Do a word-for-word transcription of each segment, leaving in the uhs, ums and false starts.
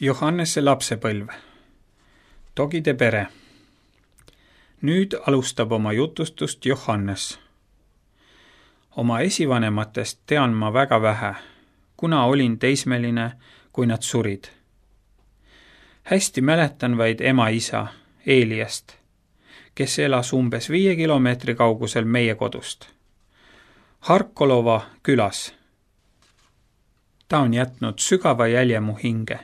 Johannese lapsepõlv. Togide pere. Nüüd alustab oma jutustust Johannes. Oma esivanematest tean ma väga vähe, kuna olin teismeline, kui nad surid. Hästi mäletan vaid ema-isa, Eeliast, kes elas umbes viie kilomeetri kaugusel meie kodust. Harkolova külas. Ta on jätnud sügava jälje mu hinge.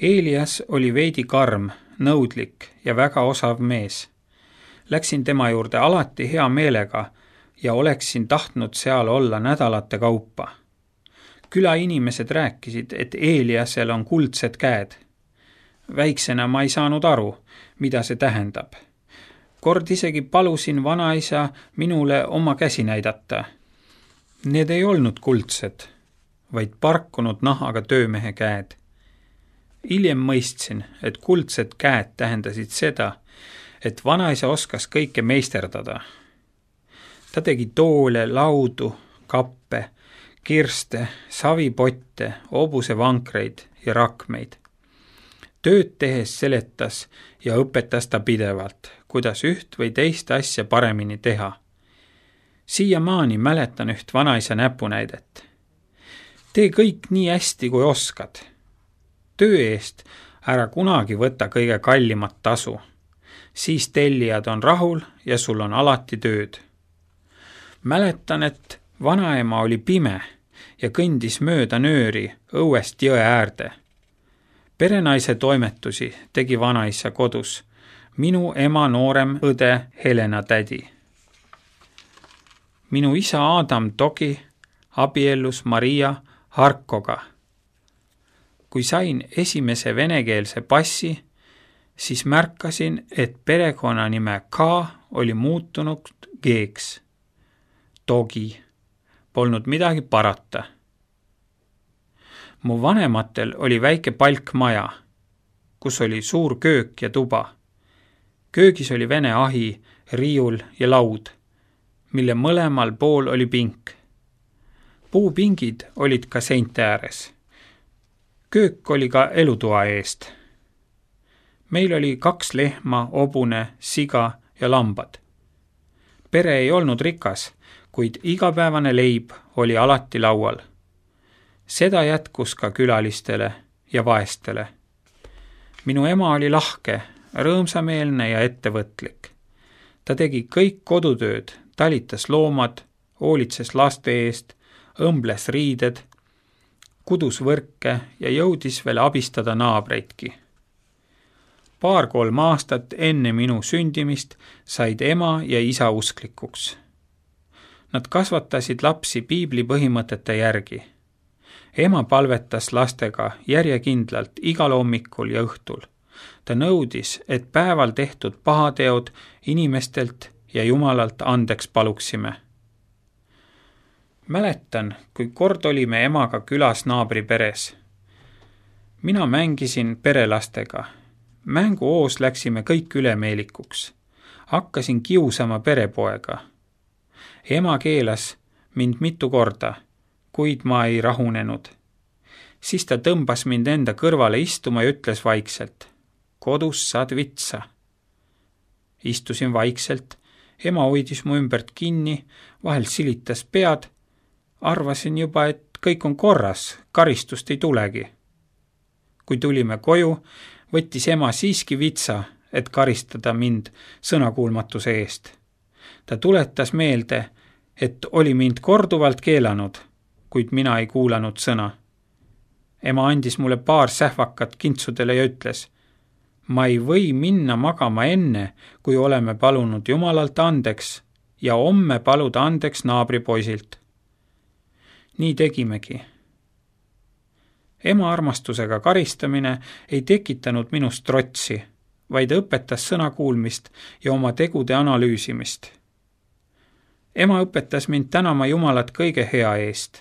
Eelias oli veidi karm, nõudlik ja väga osav mees. Läksin tema juurde alati hea meelega ja oleksin tahtnud seal olla nädalate kaupa. Küla inimesed rääkisid, et Eeliasel on kuldsed käed. Väiksena ma ei saanud aru, mida see tähendab. Kord isegi palusin vanaisa minule oma käsi näidata. Need ei olnud kuldsed, vaid parkunud nahaga töömehe käed. Hiljem mõistsin, et kuldsed käed tähendasid seda, et vanaisa oskas kõike meisterdada. Ta tegi toole, laudu, kappe, kirste, savipotte, hobusevankreid ja rakmeid. Tööd tehes seletas ja õpetas ta pidevalt, kuidas üht või teist asja paremini teha. Siiamaani mäletan üht vanaisa näpunäidet. Tee kõik nii hästi, kui oskad. Töö eest ära kunagi võta kõige kallimat tasu. Siis tellijad on rahul ja sul on alati tööd. Mäletan, et vanaema oli pime ja kõndis mööda nööri õuest jõe äärde. Perenaise toimetusi tegi vanaisa kodus, minu ema noorem õde Helena tädi. Minu isa Adam Togi abiellus Maria Harkoga. Kui sain esimese venekeelse passi, siis märkasin, et perekonnanime K oli muutunud G-ks. Togi. Polnud midagi parata. Mu vanematel oli väike palkmaja, kus oli suur köök ja tuba. Köögis oli vene ahi, riiul ja laud, mille mõlemal pool oli pink. Puupingid olid ka seinte ääres. Köök oli ka elutoa eest. Meil oli kaks lehma, hobune, siga ja lambad. Pere ei olnud rikas, kuid igapäevane leib oli alati laual. Seda jätkus ka külalistele ja vaestele. Minu ema oli lahke, rõõmsameelne ja ettevõtlik. Ta tegi kõik kodutööd, talitas loomad, hoolitses laste eest, õmbles riided, kudus võrke ja jõudis veel abistada naabreidki. Paar-kolm aastat enne minu sündimist said ema ja isa usklikuks. Nad kasvatasid lapsi piibli põhimõtete järgi. Ema palvetas lastega järjekindlalt igal hommikul ja õhtul. Ta nõudis, et päeval tehtud pahateod inimestelt ja Jumalalt andeks paluksime. Mäletan, kui kord olime emaga külas naabri peres. Mina mängisin perelastega. Mänguoos läksime kõik ülemeelikuks. Hakkasin kiusama perepoega. Ema keelas mind mitu korda, kuid ma ei rahunenud. Siis ta tõmbas mind enda kõrvale istuma ja ütles vaikselt, kodus saad vitsa. Istusin vaikselt, ema hoidis mu ümbert kinni, vahel silitas pead. Arvasin juba, et kõik on korras, karistust ei tulegi. Kui tulime koju, võttis ema siiski vitsa, et karistada mind sõnakuulmatuse eest. Ta tuletas meelde, et oli mind korduvalt keelanud, kuid mina ei kuulanud sõna. Ema andis mulle paar sähvakat kintsudele ja ütles, ma ei või minna magama enne, kui oleme palunud Jumalalt andeks ja homme paluda andeks naabripoisilt. Nii tegimegi. Ema armastusega karistamine ei tekitanud minust trotsi, vaid õpetas sõnakuulmist ja oma tegude analüüsimist. Ema õpetas mind tänama Jumalat kõige hea eest.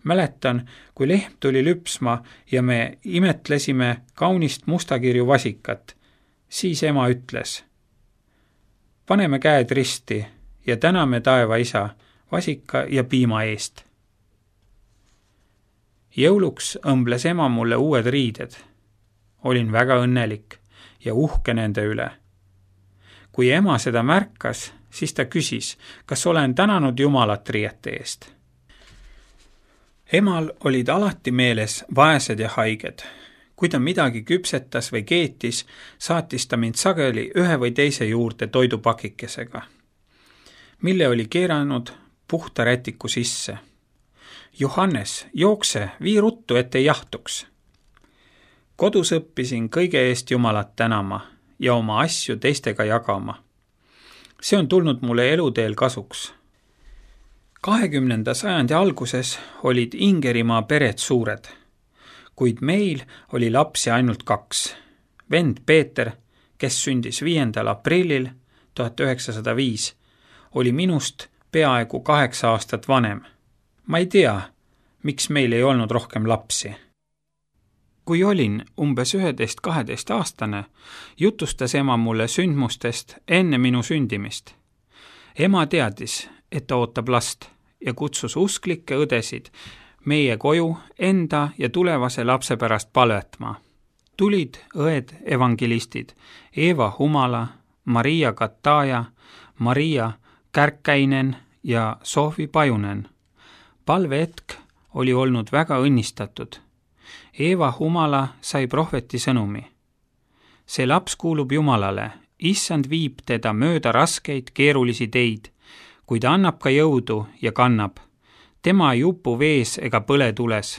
Mäletan, kui lehm tuli lüpsma ja me imetlesime kaunist mustakirju vasikat, siis ema ütles, paneme käed risti ja täname taeva isa vasika ja piima eest. Jõuluks õmbles ema mulle uued riided. Olin väga õnnelik ja uhke nende üle. Kui ema seda märkas, siis ta küsis, kas olen tänanud Jumalat riiete eest. Emal olid alati meeles vaesed ja haiged. Kui ta midagi küpsetas või keetis, saatis ta mind sageli ühe või teise juurde toidupakikesega, mille oli keeranud puhta rätiku sisse. Johannes, jookse, vii ruttu, et ei jahtuks. Kodus õppisin kõige eest Jumalat tänama ja oma asju teistega jagama. See on tulnud mulle eluteel kasuks. kahekümnenda sajandi alguses olid Ingerimaa pered suured, kuid meil oli lapsi ainult kaks. Vend Peeter, kes sündis viiendal aprillil tuhat üheksasada viis, oli minust peaaegu kaheksa aastat vanem. Ma ei tea, miks meil ei olnud rohkem lapsi. Kui olin umbes üheteist kaheteist aastane, jutustas ema mulle sündmustest enne minu sündimist. Ema teadis, et ta ootab last ja kutsus usklikke õdesid meie koju enda ja tulevase lapse pärast palvetma. Tulid õed evangelistid Eeva Humala, Maria Kataja, Maria Kärkkäinen ja Sohvi Pajunen. Palvehetk oli olnud väga õnnistatud. Eeva Humala sai prohveti sõnumi. See laps kuulub Jumalale, issand viib teda mööda raskeid keerulisi teid, kuid annab ka jõudu ja kannab. Tema ei upu vees ega põle tules.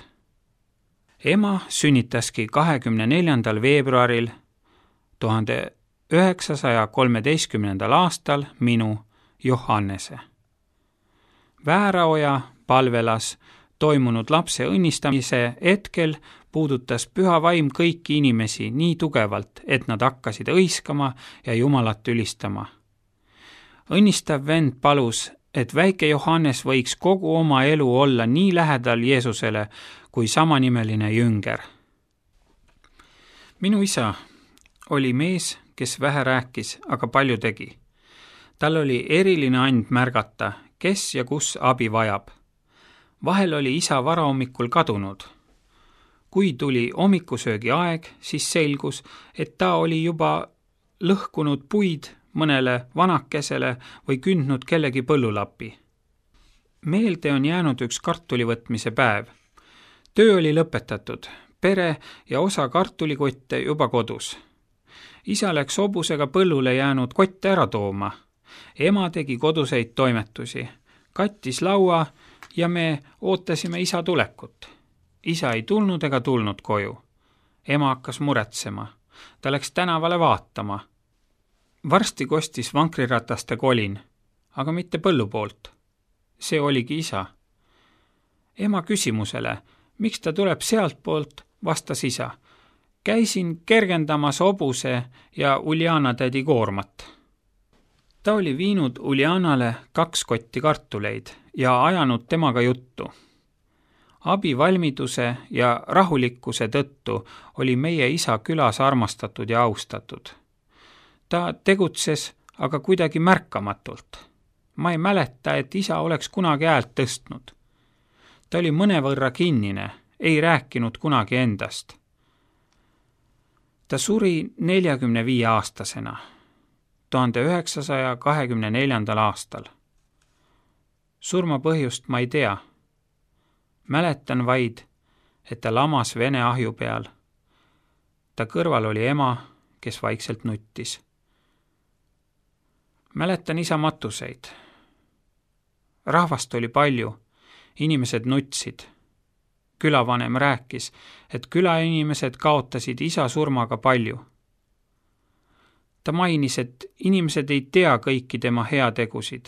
Ema sünnitaski kahekümne neljandal veebruaril tuhande üheksasaja kolmeteistkümnendal aastal minu Johannese. Vääraoja palvelas toimunud lapse õnnistamise hetkel puudutas püha vaim kõiki inimesi nii tugevalt, et nad hakkasid õiskama ja Jumalat ülistama. Õnnistav vend palus, et väike Johannes võiks kogu oma elu olla nii lähedal Jeesusele kui samanimeline jünger. Minu isa oli mees, kes vähe rääkis, aga palju tegi. Tal oli eriline and märgata, kes ja kus abi vajab. Vahel oli isa varahommikul kadunud. Kui tuli hommikusöögi aeg, siis selgus, et ta oli juba lõhkunud puid mõnele vanakesele või kündnud kellegi põllulapi. Meelde on jäänud üks kartulivõtmise päev. Töö oli lõpetatud, pere ja osa kartulikotte juba kodus. Isa läks hobusega põllule jäänud kotte ära tooma. Ema tegi koduseid toimetusi, kattis laua ja me ootasime isa tulekut. Isa ei tulnud ega tulnud koju. Ema hakkas muretsema. Ta läks tänavale vaatama. Varsti kostis vankrirataste kolin, aga mitte põllu poolt. See oligi isa. Ema küsimusele, miks ta tuleb sealt poolt, vastas isa. Käisin kergendamas hobuse ja Uljana tädi koormat. Ta oli viinud Uljanale kaks kotti kartuleid ja ajanud temaga juttu. Abivalmiduse ja rahulikkuse tõttu oli meie isa külas armastatud ja austatud. Ta tegutses aga kuidagi märkamatult. Ma ei mäleta, et isa oleks kunagi häält tõstnud. Ta oli mõnevõrra kinnine, ei rääkinud kunagi endast. Ta suri neljakümne viie aastasena, tuhande üheksasaja kahekümne neljandal aastal. Surma põhjust ma ei tea. Mäletan vaid, et ta lamas Vene ahju peal. Ta kõrval oli ema, kes vaikselt nuttis. Mäletan isa matuseid. Rahvast oli palju, inimesed nutsid. Külavanem rääkis, et külainimesed kaotasid isa surmaga palju. Ta mainis, et inimesed ei tea kõiki tema heategusid.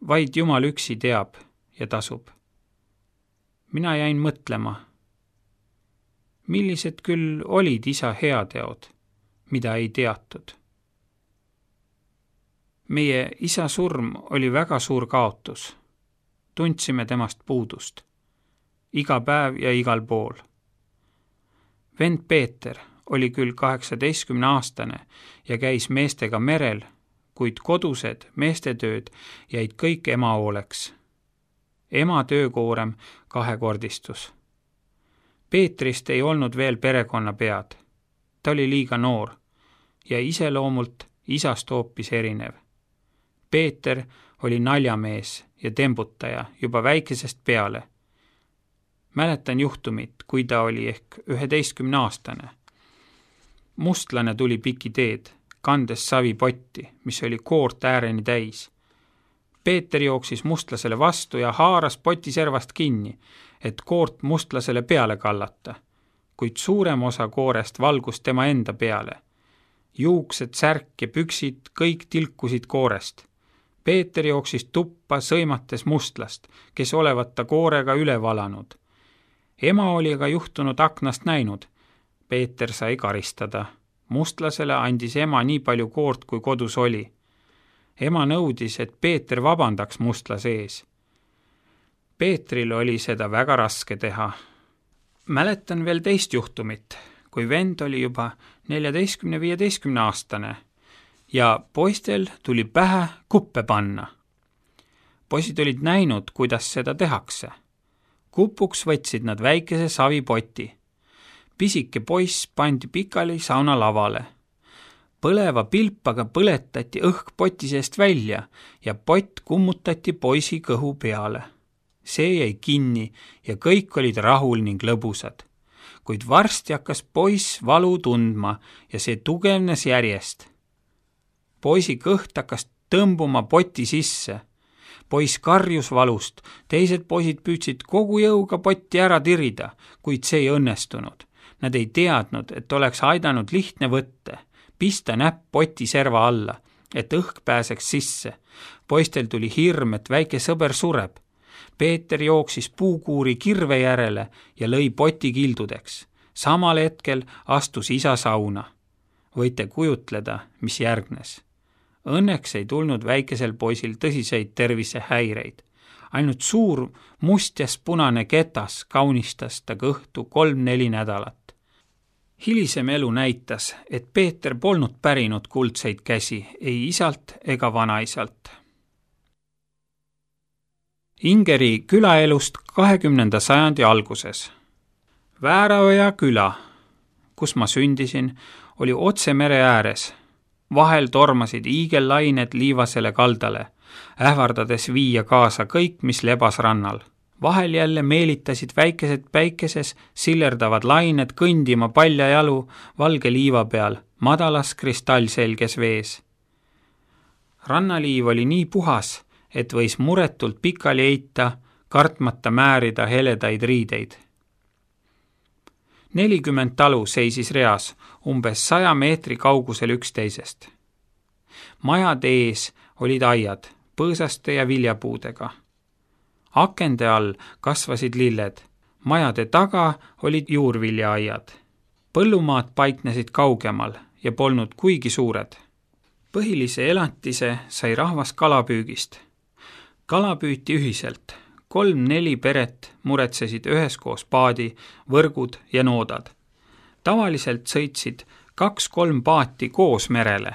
Vaid Jumal üksi teab ja tasub. Mina jäin mõtlema, millised küll olid isa heateod, mida ei teatud. Meie isa surm oli väga suur kaotus. Tundsime temast puudust. Iga päev ja igal pool. Vend Peeter oli küll kaheksateistkümne aastane ja käis meestega merel, kuid kodused meestetööd jäid kõik ema hooleks. Ema töökoorem kahekordistus. Peetrist ei olnud veel perekonna pead. Ta oli liiga noor ja iseloomult isast hoopis erinev. Peeter oli naljamees ja tembutaja juba väikesest peale. Mäletan juhtumit, kui ta oli ehk üheteistkümne aastane. Mustlane tuli piki teed, kandes savipotti, mis oli koort ääreni täis. Peeter jooksis mustlasele vastu ja haaras poti servast kinni, et koort mustlasele peale kallata, kuid suurem osa koorest valgus tema enda peale. Juuksed, särk ja püksid kõik tilkusid koorest. Peeter jooksis tuppa sõimates mustlast, kes olevat ta koorega üle valanud. Ema oli aga juhtunud aknast näinud. Peeter sai karistada. Mustlasele andis ema nii palju koort, kui kodus oli. Ema nõudis, et Peeter vabandaks mustlase ees. Peetril oli seda väga raske teha. Mäletan veel teist juhtumit, kui vend oli juba neljateistkümne viieteistkümne aastane ja poistel tuli pähe kuppe panna. Poisid olid näinud, kuidas seda tehakse. Kupuks võtsid nad väikese savipoti. Pisike poiss pandi pikali sauna lavale. Põleva pilpaga põletati õhk poti seest välja ja pott kummutati poisi kõhu peale. See jäi kinni ja kõik olid rahul ning lõbusad. Kuid varsti hakkas poiss valu tundma ja see tugevnes järjest. Poisi kõht hakkas tõmbuma poti sisse. Poiss karjus valust, teised poisid püüdsid kogu jõuga potti ära tirida, kuid see ei õnnestunud. Nad ei teadnud, et oleks aidanud lihtne võtte, pista näpp poti serva alla, et õhk pääseks sisse. Poistel tuli hirm, et väike sõber sureb. Peeter jooksis puukuuri kirve järele ja lõi poti kildudeks. Samal hetkel astus isa sauna. Võite kujutleda, mis järgnes. Õnneks ei tulnud väikesel poisil tõsiseid tervisehäireid. Ainult suur mustjas punane ketas kaunistas ta kõhtu kolm-neli nädalat. Hilisem elu näitas, et Peeter polnud pärinud kuldseid käsi ei isalt ega vanaisalt. Ingeri külaelust kahekümnenda sajandi alguses. Vääraoja küla, kus ma sündisin, oli otse mere ääres. Vahel tormasid iigellained liivasele kaldale, ähvardades viia kaasa kõik, mis lebas rannal. Vahel jälle meelitasid väikesed päikeses sillerdavad lained kõndima palja jalu valge liiva peal, madalas kristallselges vees. Rannaliiv oli nii puhas, et võis muretult pikali eita, kartmata määrida heledaid riideid. Nelikümmend talu seisis reas, umbes saja meetri kaugusel üksteisest. Majade ees olid aiad, põõsaste ja viljapuudega. Akende all kasvasid lilled, majade taga olid juurviljaaiad. Põllumaad paiknesid kaugemal ja polnud kuigi suured. Põhilise elatise sai rahvas kalapüügist. Kala püüti ühiselt. Kolm-neli peret muretsesid üheskoos paadi, võrgud ja noodad. Tavaliselt sõitsid kaks-kolm paati koos merele.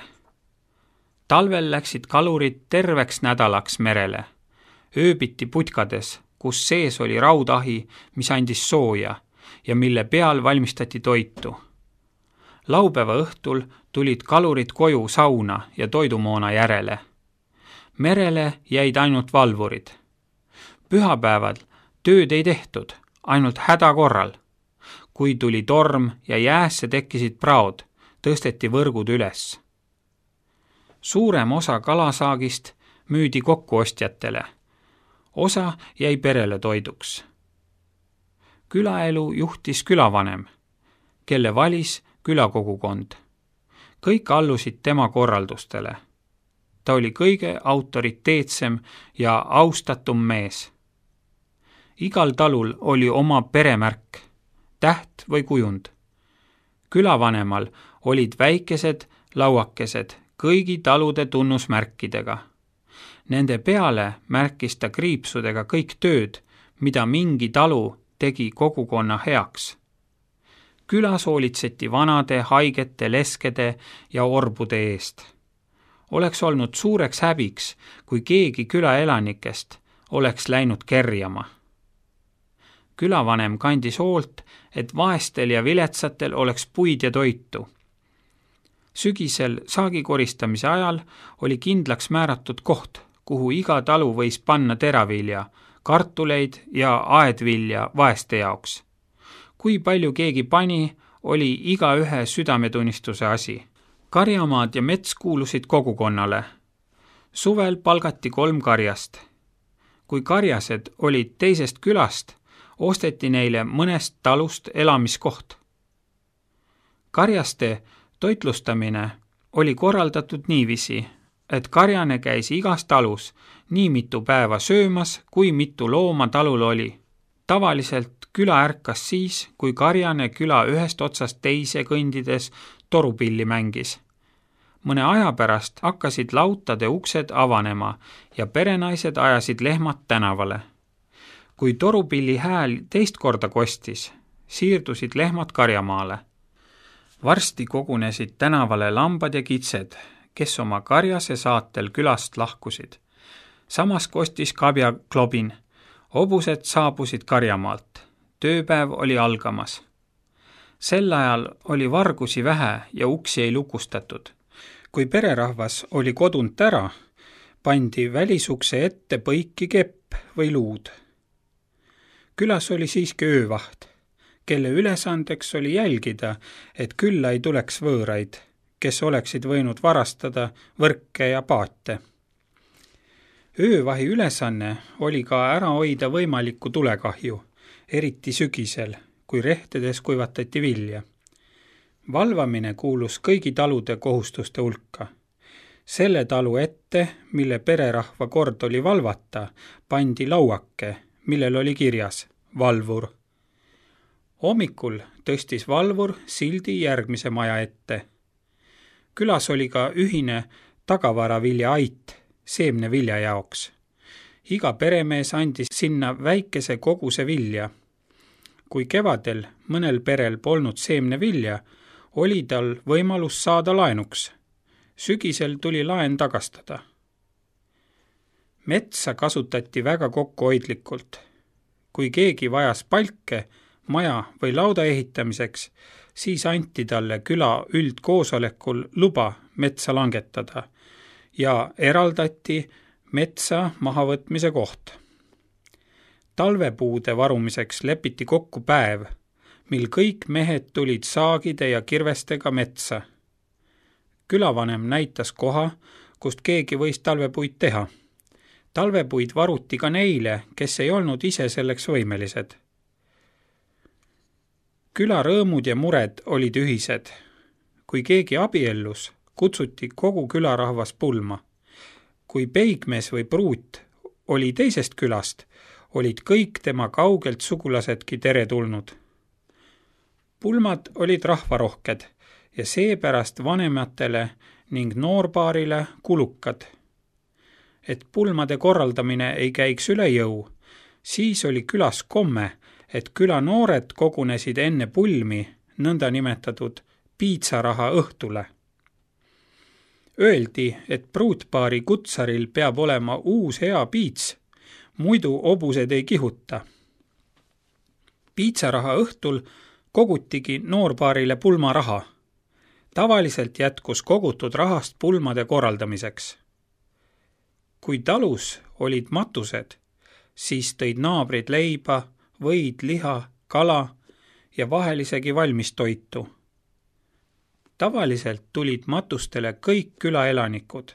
Talvel läksid kalurid terveks nädalaks merele. Ööbiti putkades, kus sees oli raudahi, mis andis sooja ja mille peal valmistati toitu. Laupäeva õhtul tulid kalurid koju sauna ja toidumoona järele. Merele jäid ainult valvurid. Pühapäeval tööd ei tehtud, ainult häda korral. Kui tuli torm ja jäässe tekkisid praod, tõsteti võrgud üles. Suurem osa kalasaagist müüdi kokkuostjatele. Osa jäi perele toiduks. Külaelu juhtis külavanem, kelle valis külakogukond. Kõik allusid tema korraldustele. Ta oli kõige autoriteetsem ja austatum mees. Igal talul oli oma peremärk, täht või kujund. Külavanemal olid väikesed lauakesed kõigi talude tunnusmärkidega. Nende peale märkis ta kriipsudega kõik tööd, mida mingi talu tegi kogukonna heaks. Külas hoolitseti vanade, haigete, leskede ja orbude eest. Oleks olnud suureks häbiks, kui keegi külaelanikest oleks läinud kerjama. Külavanem kandis hoolt, et vaestel ja viletsatel oleks puid ja toitu. Sügisel saagi koristamise ajal oli kindlaks määratud koht, kuhu iga talu võis panna teravilja, kartuleid ja aedvilja vaeste jaoks. Kui palju keegi pani, oli iga ühe südametunnistuse asi. Karjamaad ja mets kuulusid kogukonnale. Suvel palgati kolm karjast. Kui karjased olid teisest külast, osteti neile mõnest talust elamiskoht. Karjaste toitlustamine oli korraldatud niiviisi, et karjane käis igas talus nii mitu päeva söömas, kui mitu looma talul oli. Tavaliselt küla ärkas siis, kui karjane küla ühest otsast teise kõndides torupilli mängis. Mõne aja pärast hakkasid lautade uksed avanema ja perenaised ajasid lehmad tänavale. Kui torupilli hääl teist korda kostis, siirdusid lehmad karjamaale. Varsti kogunesid tänavale lambad ja kitsed, kes oma karjase saatel külast lahkusid. Samas kostis kabja klobin. Hobused saabusid karjamaalt. Tööpäev oli algamas. Sel ajal oli vargusi vähe ja uksi ei lukustatud. Kui pererahvas oli kodunt ära, pandi välisukse ette põiki kepp või luud. Külas oli siiski öövaht, kelle ülesandeks oli jälgida, et külla ei tuleks võõraid, kes oleksid võinud varastada võrke ja paate. Öövahi ülesanne oli ka ära hoida võimalikku tulekahju, eriti sügisel, kui rehtedes kuivatati vilja. Valvamine kuulus kõigi talude kohustuste hulka. Selle talu ette, mille pererahva kord oli valvata, pandi lauake, millel oli kirjas valvur. Hommikul tõstis valvur sildi järgmise maja ette. Külas oli ka ühine tagavaravilja ait seemne vilja jaoks. Iga peremees andis sinna väikese koguse vilja. Kui kevadel mõnel perel polnud seemne vilja, oli tal võimalus saada laenuks. Sügisel tuli laen tagastada. Metsa kasutati väga kokkuhoidlikult. Kui keegi vajas palke, maja või lauda ehitamiseks, siis anti talle küla üldkoosolekul luba metsa langetada ja eraldati metsa mahavõtmise koht. Talvepuude varumiseks lepiti kokku päev, mil kõik mehed tulid saagide ja kirvestega metsa. Külavanem näitas koha, kust keegi võis talvepuid teha. Talvepuid varuti ka neile, kes ei olnud ise selleks võimelised. Küla rõõmud ja mured olid ühised. Kui keegi abiellus, kutsuti kogu külarahvas pulma. Kui peigmees või pruut oli teisest külast, olid kõik tema kaugelt sugulasedki teretulnud. Pulmad olid rahvarohked ja seepärast vanematele ning noorbaarile kulukad. Et pulmade korraldamine ei käiks üle jõu, siis oli külas komme, et küla noored kogunesid enne pulmi nõnda nimetatud piitsaraha õhtule. Öeldi, et pruutpaari kutsaril peab olema uus hea piits, muidu hobused ei kihuta. Piitsaraha õhtul kogutigi noorbaarile pulmaraha. Tavaliselt jätkus kogutud rahast pulmade korraldamiseks. Kui talus olid matused, siis tõid naabrid leiba, võid, liha, kala ja vahel isegi valmis toitu. Tavaliselt tulid matustele kõik külaelanikud.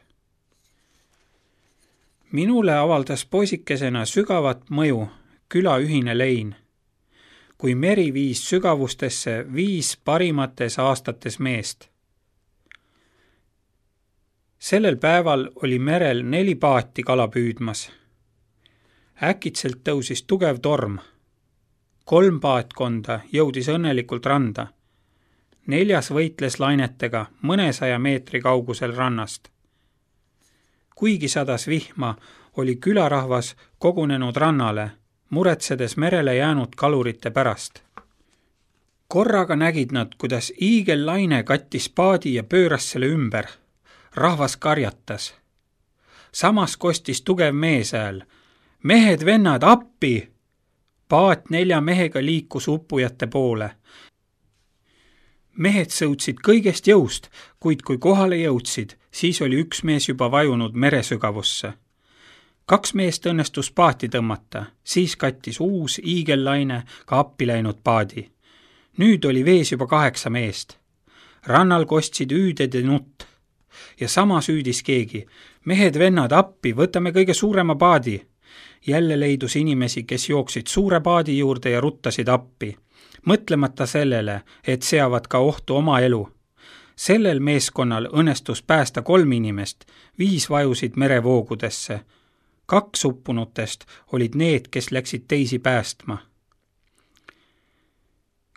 Minule avaldas poisikesena sügavat mõju küla ühine lein, kui meri viis sügavustesse viis parimates aastates meest. Sellel päeval oli merel neli paati kala püüdmas. Äkitselt tõusis tugev torm. Kolm paatkonda jõudis õnnelikult randa. Neljas võitles lainetega mõnesaja meetri kaugusel rannast. Kuigi sadas vihma, oli külarahvas kogunenud rannale, muretsedes merele jäänud kalurite pärast. Korraga nägid nad, kuidas iigellaine kattis paadi ja pööras selle ümber. Rahvas karjatas. Samas kostis tugev meeshääl. Mehed, vennad, appi! Paat nelja mehega liikus uppujate poole. Mehed sõudsid kõigest jõust, kuid kui kohale jõudsid, siis oli üks mees juba vajunud meresügavusse. Kaks meest õnnestus paati tõmmata, siis kattis uus iigellaine ka appi läinud paadi. Nüüd oli vees juba kaheksa meest. Rannal kostsid üüded ja nutt. Ja sama süüdis keegi. Mehed vennad appi, võtame kõige suurema paadi. Jälle leidus inimesi, kes jooksid suure paadi juurde ja ruttasid appi, mõtlemata sellele, et seavad ka ohtu oma elu. Sellel meeskonnal õnnestus päästa kolm inimest, viis vajusid merevoogudesse. Kaks uppunutest olid need, kes läksid teisi päästma.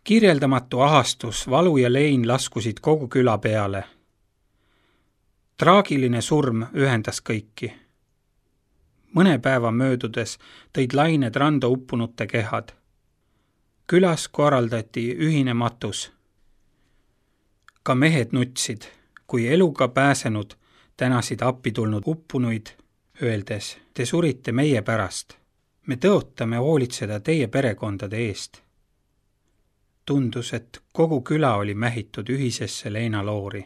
Kirjeldamatu ahastus, valu ja lein laskusid kogu küla peale. Traagiline surm ühendas kõiki. Mõne päeva möödudes tõid lained randa uppunute kehad. Külas korraldati ühine matus. Ka mehed nutsid, kui eluga pääsenud tänasid appi tulnud uppunuid, öeldes, te surite meie pärast. Me tõotame hoolitseda teie perekondade eest. Tundus, et kogu küla oli mähitud ühisesse leinaloori.